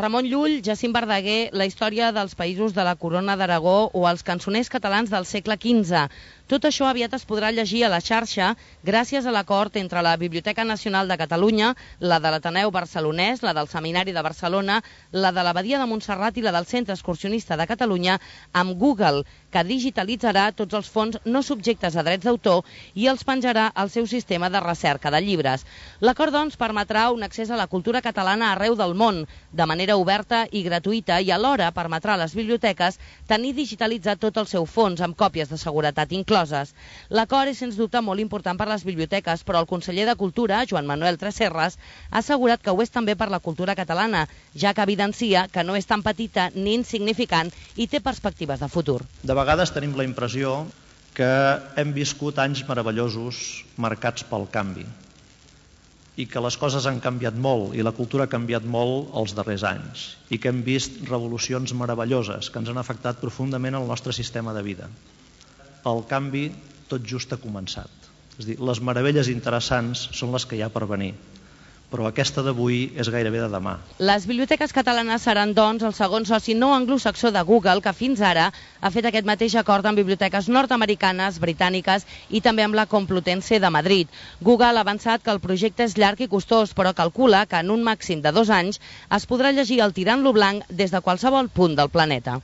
Ramon Llull, Jacint Verdaguer, la història dels països de la Corona d'Aragó o els cançoners catalans del segle XV. Tot això aviat es podrà llegir a la xarxa gràcies a l'acord entre la Biblioteca Nacional de Catalunya, la de l'Ateneu Barcelonès, la del Seminari de Barcelona, la de l'Abadia de Montserrat i la del Centre Excursionista de Catalunya amb Google, que digitalitzarà tots els fons no subjectes a drets d'autor i els penjarà al seu sistema de recerca de llibres. L'acord, doncs, permetrà un accés a la cultura catalana arreu del món, de manera oberta i gratuïta, i alhora permetrà a les biblioteques tenir digitalitzat tot el seu fons amb còpies de seguretat incloses. L'acord és, sens dubte, molt important per les biblioteques, però el conseller de Cultura, Joan Manuel Tresserras, ha assegurat que ho és també per la cultura catalana, ja que evidencia que no és tan petita ni insignificant i té perspectives de futur. De vegades tenim la impressió que hem viscut anys meravellosos marcats pel canvi i que les coses han canviat molt i la cultura ha canviat molt els darrers anys i que hem vist revolucions meravelloses que ens han afectat profundament el nostre sistema de vida. El canvi tot just ha començat. És a dir, les meravelles interessants són les que hi ha per venir, però aquesta d'avui és gairebé de demà. Les biblioteques catalanes seran, doncs, el segon soci no anglosaxó de Google, que fins ara ha fet aquest mateix acord amb biblioteques nord-americanes, britàniques i també amb la Complutense de Madrid. Google ha avançat que el projecte és llarg i costós, però calcula que en un màxim de 2 anys es podrà llegir el Tirant lo Blanc des de qualsevol punt del planeta.